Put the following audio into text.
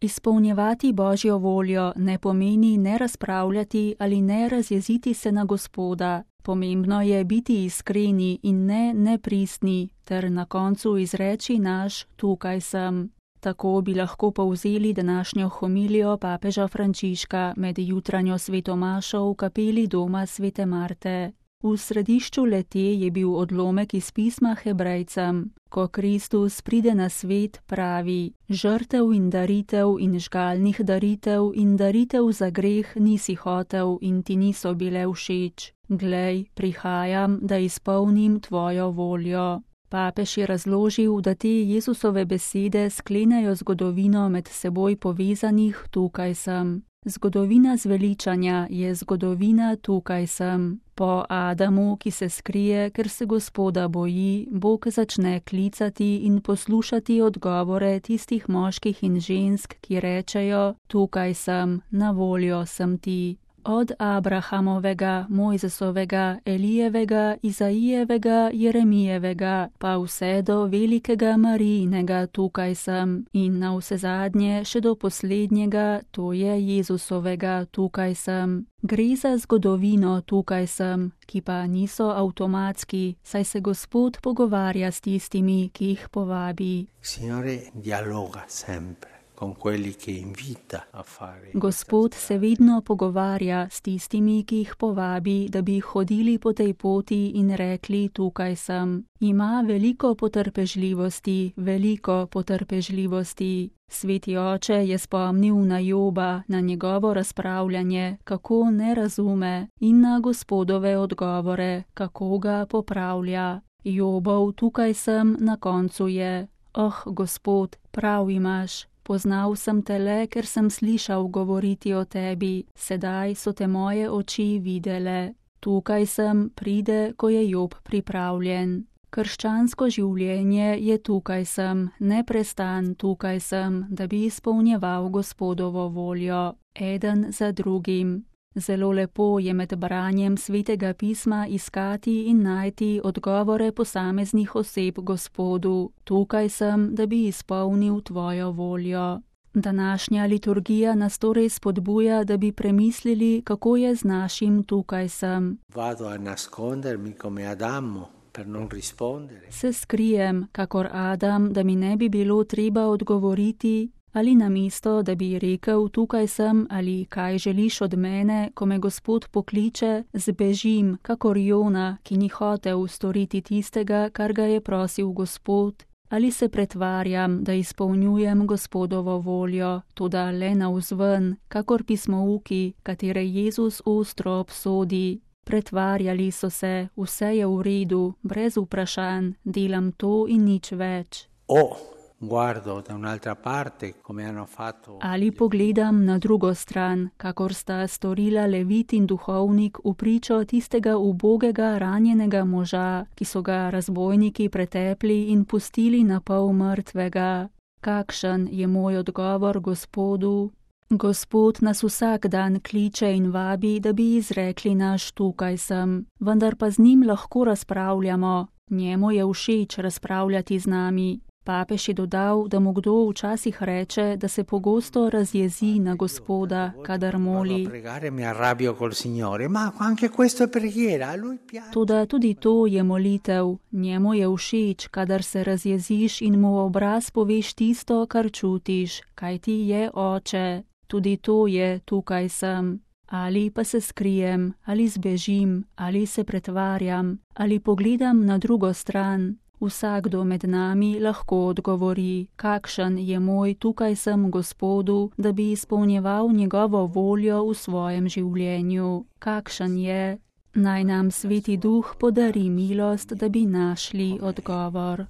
Izpolnjevati Božjo voljo ne pomeni ne razpravljati ali ne razjeziti se na Gospoda. Pomembno je biti iskreni in ne nepristni ter na koncu izreči naš tukaj sem. Tako bi lahko povzeli današnjo homilijo papeža Frančiška med jutranjo sveto mašo v kapeli doma svete Marte. V središču le-te je bil odlomek iz pisma Hebrejcem. Ko Kristus pride na svet, pravi: žrtev in žgalnih daritev in daritev za greh nisi hotel in ti niso bile všeč. Glej, prihajam, da izpolnim tvojo voljo. Papež je razložil, da te Jezusove besede sklenejo zgodovino med seboj povezanih tukaj sem. Zgodovina zveličanja je zgodovina tukaj sem. Po Adamu, ki se skrije, ker se Gospoda boji, Bog začne klicati in poslušati odgovore tistih moških in žensk, ki rečejo: tukaj sem, na voljo sem ti. Od Abrahamovega, Mojzesovega, Elijevega, Izaijevega, Jeremijevega, pa vse do velikega Marijinega tukaj sem in navsezadnje še do poslednjega, to je Jezusovega tukaj sem. Gre za zgodovino tukaj sem, ki pa niso avtomatski, saj se Gospod pogovarja s tistimi, ki jih povabi. Signore dialoga sempre. Gospod se vedno pogovarja s tistimi, ki jih povabi, da bi hodili po tej poti in rekli: tukaj sem. Ima veliko potrpežljivosti. Sveti oče je spomnil na Joba, na njegovo razpravljanje, kako ne razume, in na Gospodove odgovore, kako ga popravlja. Jobov tukaj sem na koncu je: Gospod, prav imaš. Poznal sem te le, ker sem slišal govoriti o tebi, sedaj so te moje oči videle. Tukaj sem pride, ko je Job pripravljen. Krščansko življenje je tukaj sem, neprestan tukaj sem, da bi izpolnjeval Gospodovo voljo, eden za drugim. Zelo lepo je med branjem svetega pisma iskati in najti odgovore posameznih oseb Gospodu. Tukaj sem, da bi izpolnil tvojo voljo. Današnja liturgija nas torej spodbuja, da bi premislili, kako je z našim tukaj sem. Se skrijem, kakor Adam, da mi ne bi bilo treba odgovoriti, ali namesto, da bi rekel: tukaj sem, ali kaj želiš od mene, ko me Gospod pokliče, zbežim, kakor Jona, ki ni hotel storiti tistega, kar ga je prosil Gospod, ali se pretvarjam, da izpolnjujem Gospodovo voljo, toda le navzven, kakor pismouki, katere Jezus ostro obsodi. Pretvarjali so se, vse je v redu, brez vprašanj, delam to in nič več. Ali pogledam na drugo stran, kakor sta storila Levit in duhovnik v pričo tistega ubogega ranjenega moža, ki so ga razbojniki pretepli in pustili na pol mrtvega. Kakšen je moj odgovor Gospodu? Gospod nas vsak dan kliče in vabi, da bi izrekli naš tukaj sem, vendar pa z njim lahko razpravljamo. Njemu je všeč razpravljati z nami. Papež je dodal, da mu kdo včasih reče, da se pogosto razjezi na Gospoda, kadar moli. Toda tudi to je molitev. Njemu je všeč, kadar se razjeziš in mu v obraz poveš tisto, kar čutiš, kajti je oče. Tudi to je tukaj sem. Ali pa se skrijem, ali zbežim, ali se pretvarjam, ali pogledam na drugo stran. Vsakdo med nami lahko odgovori, kakšen je moj tukaj sem Gospodu, da bi izpolnjeval njegovo voljo v svojem življenju. Kakšen je? Naj nam Sveti Duh podari milost, da bi našli odgovor.